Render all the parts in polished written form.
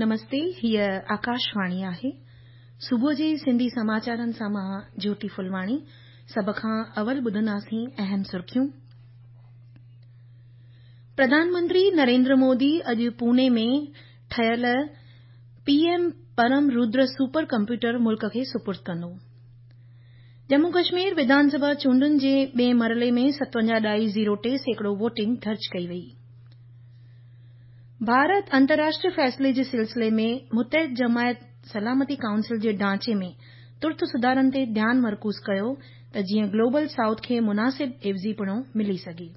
نمستي، هيء آڪاشواڻي آهي. صبح جي سنڌي سماچارن سان مان جيوتي ڦلواڻي. سڀ کان اول ٻڌنداسين اهم سرخيون. پرڌان منتري نريندر مودي اڄ پوني ۾ ٺهيل P M Param Rudra super computer ملڪ کي سپرد ڪندو. ڄمون ڪشمير وڌان سڀا چونڊن جي ٻئين مرحلي ۾ 57.03% ووٽنگ درج ڪئي وئي. ڀارت انترراشٽريه فيصلي جي سلسلي ۾ متحده جماعت سلامتي ڪائونسل جي ڍانچي ۾ ترت سڌارن تي ڌيان مرڪوز ڪيو ته جيئن گلوبل سائوٿ کي مناسب عيوضيپڻو ملي سگهي.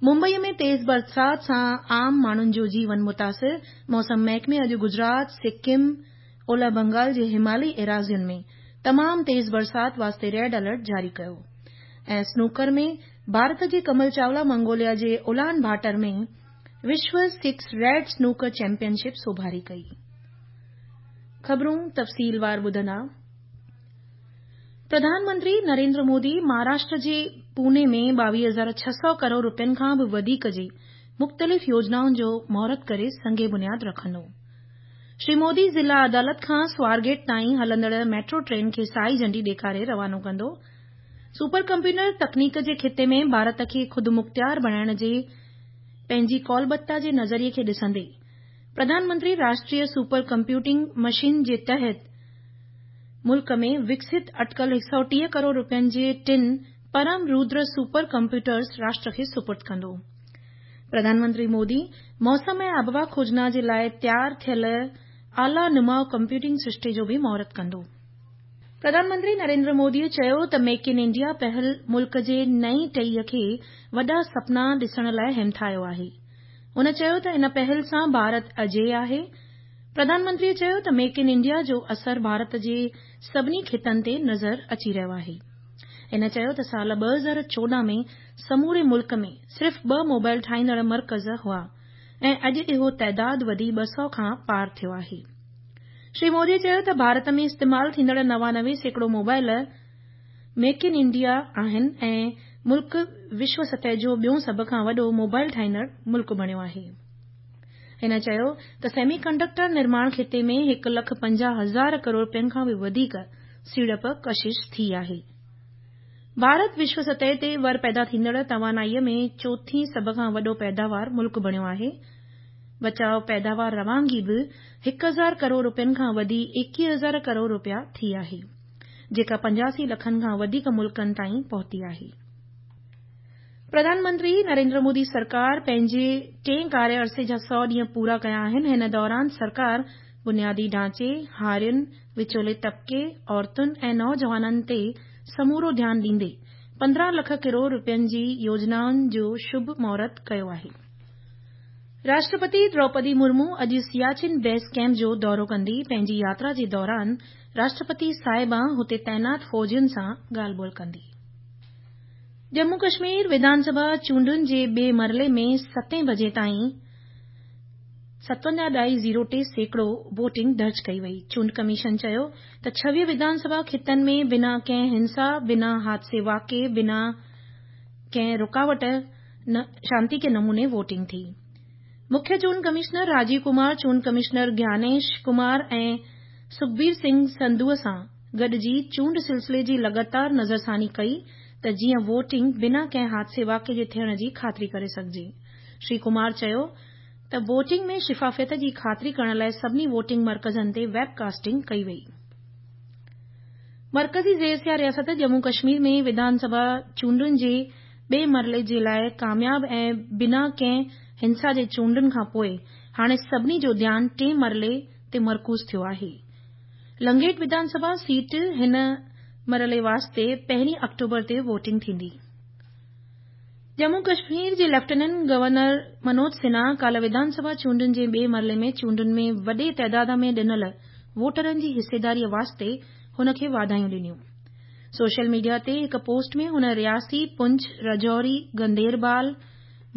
ممبئي ۾ تيز برسات سان عام ماڻهن جو جيون متاثر، موسم محڪمي اڄ گجرات، سڪم، اولهه بنگال جي همالي ايراضين ۾ تمام تيز برسات واسطي ريڊ الرٽ جاري ڪيو ۽ اسنوڪر ۾ ڀارت جي ڪمل چاولا منگوليا جي اولان ڀاٽر ۾ وشو six red snooker champion ship سوڀاري ڪئي. خبرون تفصيلوار ٻڌندا. پرڌان منتري نريندر مودي مهاراشٽر جي پوني ۾ 22,600 ڪروڙ رپين کان به وڌيڪ جي مختلف يوجنائن جو مهورت ڪري سنگ بنياد رکندو. شري مودي ضلع عدالت کان سوارگيٽ تائين هلندڙ ميٽرو ٽرين کي سائي جهنڊي ڏيکاري روانو ڪندو. سپر ڪمپيوٽر تڪنيڪ جي خطي ۾ ڀارت کي خودمختيار بڻائڻ جي پنهنجي قولبتا جي نظريي کي ڏسندي Pradhan Mantri Rashtriya super computing mission جي تحت ملڪ ۾ وڪست اٽڪل 130 ڪروڙ رپين جي ٽن پرم رودر سپر ڪمپيوٽرز راشٽر کي سپرد ڪندو. پرڌان منتري مودي موسم ۽ آبهوا کوجنا جي لاء تيار ٿيل اعليٰ نماء ڪمپيوٽنگ سرشتي جو به مهورت ڪندو. پرڌان منتري نريندر مودي چيو ته ميڪ ان انڊيا پهل ملڪ جي نئين ٽهيء کي وڏا سپنا ڏسڻ لاء همٿايو آهي. هن چيو ته ان پهل سان ڀارت اجي آهي. پرڌان منتري چيو ته ميڪ ان انڊيا جو اثر ڀارت جي سڀني خطن تي نظر اچي رهيو آهي. هن چيو ته سال 2014 ۾ سموري ملڪ ۾ صرف ٻه موبائل ٺاهيندڙ مرڪز هئا ۽ اڄ اهو تعداد وڌي 200 کان پار ٿيو آهي. شري مودي چيو ته ڀارت ۾ استعمال ٿيندڙ 99% موبائل ميڪ ان انڊيا آهن ۽ ملڪ وشو سطح جو ٻيون سڀ کان وڏو موبائل ٺاهيندڙ ملڪ بڻيو آهي. هن چيو ته سيمي ڪنڊڪٽر نرماڻ خطي ۾ هڪ لک 50 هزار ڪروڙ رپين کان به وڌيڪ سيڙپ ڪشش ٿي آهي. ڀارت وشو سطح تي ور پيدا ٿيندڙ توانائي ۾ چوٿين سڀ کان وڏو پيداوار ملڪ بڻيو آهي. بچاء پيداوار روانگي به 1000 ڪروڙ رپين کان وڌي 21,000 ڪروڙ رپيا ٿي آهي، جيڪا 85 لکن کان وڌيڪ ملڪن تائين پهتي آهي. پرڌان منتري نريندر مودي سرڪار پنهنجي ٽئين ڪاريه عرصي جا 100 ڏينهن پورا ڪيا آهن. هن دوران سرڪار بنيادي ڍانچي، هارين، وچولي طبقي، عورتن ۽ نوجوانن تي سمورو ڌيان ڏيندي 15 لک ڪروڙ رپين جي يوجنائن جو شڀ مهورت ڪيو آهي. راشٽرپتي دروپدي مرمو اڄ سياچن بيس ڪئمپ جو دورو ڪندي. پنهنجي ياترا جي دوران راشٽرپتي صاحبه هتي تعينات فوجين سان ڳالهه ٻولهه ڪندي. ڄمون ڪشمير وڌان سڀا چونڊن جي ٻئي مرحلي ۾ ستين بجي تائين 57.03% ووٽنگ درج ڪئي وئي. چونڊ ڪميشن چيو ته 26 وڌان سڀا خطن ۾ بنا ڪنهن هنسا، بنا حادثي واقعي، بنا ڪنهن رڪاوٽ شانتيڪي نموني ووٽنگ ٿي. مکيه چونڊ ڪمشنر راجيو ڪمار چونڊ ڪمشنر گيانيش ڪمار ۽ سکبير سنگهه سنڌو سان گڏجي چونڊ سلسلي جي لڳاتار نظرثاني ڪئي ته جيئن ووٽنگ بنا ڪنهن حادثي واقعي جي ٿيڻ جي خاطري ڪري سگهجي. شري ڪمار چيو ته ووٽنگ ۾ شفافيت جي خاطري ڪرڻ لاء سڀني ووٽنگ مرڪزن تي ويب ڪاسٽنگ ڪئي وئي. مرڪزي زير اختيار رياست ڄمون ڪشمير ۾ وڌان سڀا چونڊن جي ٻئي مرحلي جي لاء ڪامياب ۽ بنا ڪنهن هنسا جي چونڊن کان پوء هاڻي سڀني جو ڌيان ٽئين مرحلي تي مرڪوز ٿيو آهي. لنگيٽ وڌان سڀا سيٽ هن مرحلي واسطي پهرين آڪٽوبر تي ووٽنگ ٿيندي. ڄمون ڪشمير جي ليفٽيننٽ گورنر منوج سنها ڪالهه وڌان سڀا چونڊن جي ٻئي مرحلي ۾ چونڊن ۾ وڏي تعداد ۾ ڏنل ووٽرن جي حصيداري واسطي هن کي واڌايون ڏنيون. سوشل ميڊيا تي هڪ پوسٽ ۾ هن رياسي، پونڇ، رجوري، گنديربال،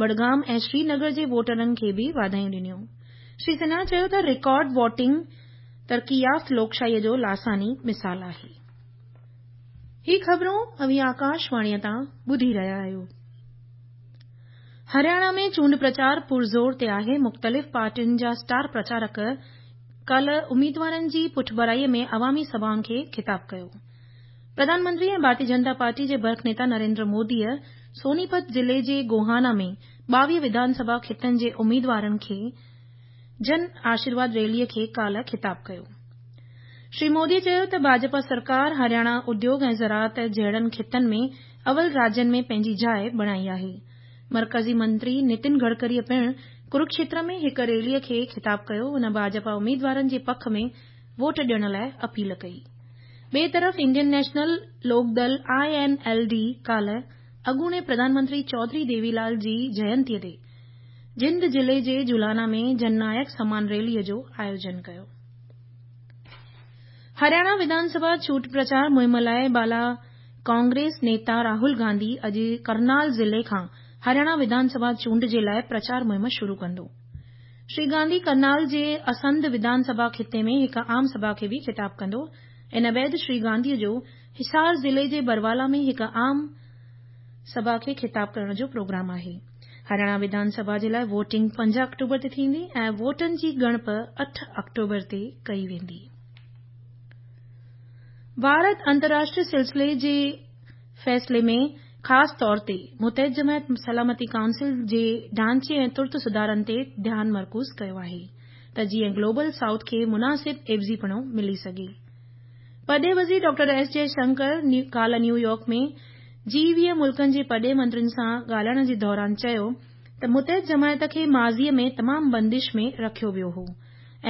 بڊگام ۽ سرينگر جي ووٽرن کي به واڌايون ڏنيون. شري سنها چيو ته رڪارڊ ووٽنگ ترقي يافته لوڪشاهيء جو لاثاني مثال آهي. هي خبرون اوهين آڪاشواڻيء تان ٻڌي رهيا آهيو. هرياڻا ۾ چونڊ پرچار پرزور تي آهي. مختلف پارٽين جا اسٽار پرچارڪ ڪالهه اميدوارن جي پٺڀرائي ۾ عوامي سڀائن کي خطاب ڪيو. پرڌان منتري ۽ ڀارتي جنتا پارٽي جي برک نيتا نريندر موديء سونيپت ضلعي جي گوهانا ۾ 22 وڌان سڀا خطن جي اميدوارن کي جن آشيرواد ريلي کي ڪالهه خطاب ڪيو. شري مودي چيو ته ڀاجپا سرڪار هرياڻا اديوگ ۽ زراعت جهڙن خطن ۾ اول راجين ۾ پنهنجي جاءِ بڻائي آهي. مرڪزي منتري نتن گڊڪريء پڻ ڪروڪشيتر ۾ هڪ ريلي کي خطاب ڪيو. هن ڀاجپا اميدوارن جي پک ۾ ووٽ ڏيڻ لاءِ اپيل ڪئي. ٻئي طرف Indian National Lok Dal, I N L D, ڪالهه اڳوڻي پرڌان منتري چوڌري ديوي لال جي جينتيء تي جند ضلعي جي جولانا ۾ جن نايڪ سمان ريلي جو آيوجن ڪيو. هرياڻا وڌان سڀا چونڊ پرچار مهم لاءِ بالا ڪانگريس نيتا راهول گانڌي اڄ ڪرنال ضلعي کان هرياڻا وڌان سڀا چونڊ جي لاءِ پرچار مهم شروع ڪندو. شري گانڌي ڪرنال جي اسنڌ وڌان سڀا خطي ۾ هڪ عام سڀا کي به خطاب ڪندو. ان بعد شري گانڌي جو حصار ضلعي جي بروالا ۾ هڪ عام سڀا کي خطاب ڪرڻ جو پروگرام آهي. هرياڻا وڌان سڀا جي لاءِ ووٽنگ 5 آڪٽوبر تي ٿيندي ۽ ووٽن جي ڳڻپ 8 آڪٽوبر تي ڪئي ويندي. ڀارت انترراشٽريه سلسلي جي فيصلي ۾ خاص طور تي متحده جماعت سلامتي ڪائونسل جي ڍانچي ۽ ترت سڌارن تي ڌيان مرڪوز ڪيو آهي ته جيئن گلوبل سائوٿ کي مناسب عيوضيپڻو ملي سگهي. پرڏيهي وزير ڊاڪٽر ايس جئه شنڪر ڪالهه نيويارڪ ۾ جي 20 ملڪن جي پرڏيهي منترين سان ڳالهائڻ جي دوران چيو ته متحده جماعت کي ماضي ۾ تمام بندش ۾ رکيو ويو هو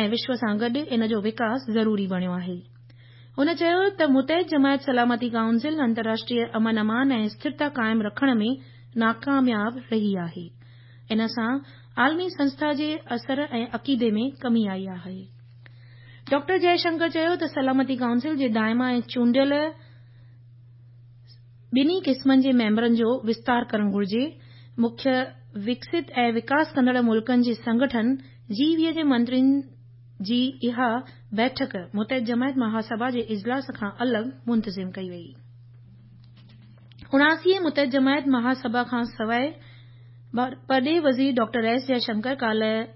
۽ وشو سان گڏ ان جو وڪاس ضروري بڻيو آهي. هن چيو ته متحده جماعت سلامتي ڪائونسل انترراشٽريه امن امان ۽ اسٿرتا قائم رکڻ ۾ ناڪامياب رهي آهي. ان سان عالمي سنسٿا جي اثر ۽ عقيدي ۾ ڪمي آئي آهي. ڊاڪٽر جئه شنڪر چيو ته سلامتي ڪائونسل جي دائما ۽ چونڊيل ٻنهي قسمن جي ميمبرن جو وستار ڪرڻ گهرجي. مکيه وڪست ۽ وڪاس ڪندڙ ملڪن جي سنگٺن جي 20 جي منترين جي اها بيٺڪ متحده جماعت مهاسڀا جي اجلاس کان الڳ منتظم ڪئي وئي. 79 متحده جماعت مهاسڀا کان سواءِ پرڏيهي وزير ڊاڪٽر ايس جئه شنڪر ڪالهه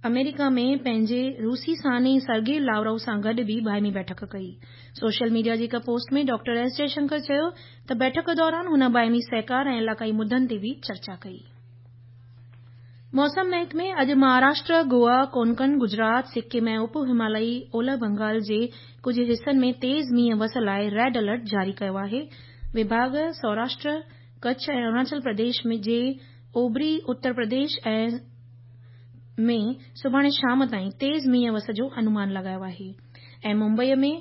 آمريڪا ۾ پنهنجي روسي ثاني سرگي لاوروف سان گڏ به باهمي بيٺڪ ڪئي. سوشل ميڊيا جي هڪ پوسٽ ۾ ڊاڪٽر ايس جئه شنڪر چيو ته بيٺڪ دوران هن باهمي سهڪار ۽ علائقائي مدن تي به چرچا ڪئي. موسم محڪمي اڄ مهاراشٽر، گوا، ڪونڪن، گجرات، سڪم ۽ اپ همالائي اولهه بنگال جي ڪجهه حصن ۾ تيز مينهن وس لاءِ ريڊ الرٽ جاري ڪيو آهي. وڀاڳ سوراشٽر، ڪڇ ۽ اروناچل پرديش جي اوڀري اتر پرديش ۾ سڀاڻي شام تائين تيز مينهن وس جو انومان لڳايو آهي ۽ ممبئي ۾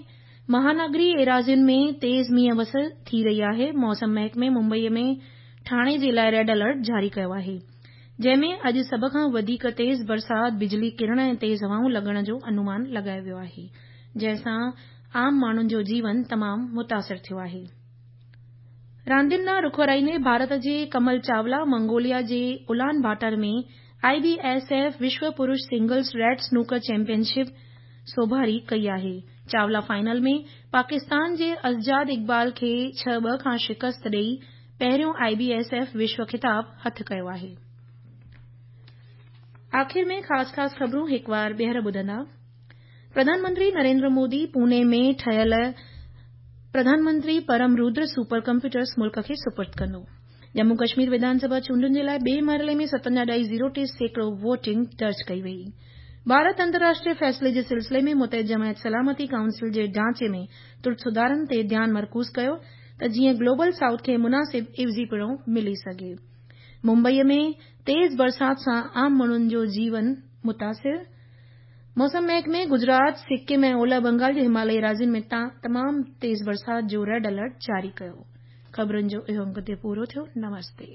مهانگري ايراضين ۾ تيز مينهن وس ٿي رهي آهي. موسم محڪمي ممبئي ۾ ٺاڻي جي لاءِ ريڊ الرٽ جاري ڪيو آهي جنهن ۾ اڄ سڀ کان وڌيڪ تيز برسات، بجلي ڪرڻ ۽ تيز هوائون لڳڻ جو انومان لڳايو ويو آهي جنهن سان عام ماڻهن جو جيون تمام متاثر ٿيو آهي. راندين ڏانهن رخ ورائيندي ڀارت جي ڪمل چاولا منگوليا جي Ulan Bator ۾ I B S F وشو پرش singles red snooker champion ship سوڀاري ڪئي آهي. چاولا فائنل ۾ پاڪستان جي اسجاد اقبال کي 6-2 کان شڪست ڏئي پهريون آء بي ايس ايف وشو خطاب هٿ ڪيو آهي. آخر ۾ خاص خاص خبرون هڪ وار ٻيهر ٻڌندا. پرڌان منتري نريندر مودي پوني ۾ ٺهيل پرڌان منتري پرم رودر سپر ڪمپيوٽرز ملڪ کي سپرد ڪندو. ڄمون ڪشمير وڌان سڀا چونڊن جي لاءِ ٻئي مرحلي ۾ 57.03% ووٽنگ درج ڪئي وئي. ڀارت انترراشٽريه فيصلي جي سلسلي ۾ متحده جماعت سلامتي ڪائونسل جي ڍانچي ۾ ترت سڌارن تي ڌيان مرڪوز ڪيو ته جيئن گلوبل سائوٿ کي مناسب عيوضيپڻو ملي سگهي. ممبئي ۾ تيز برسات سان عام ماڻهن جو جيون متاثر. موسم محڪمي گجرات، سڪم ۽ اولهه بنگال جي همالائي ايراضين ۾ تمام تيز برسات جو ريڊ الرٽ جاري ڪيو. خبرن جو اهو انگ هتي پورو ٿيو. نمستي.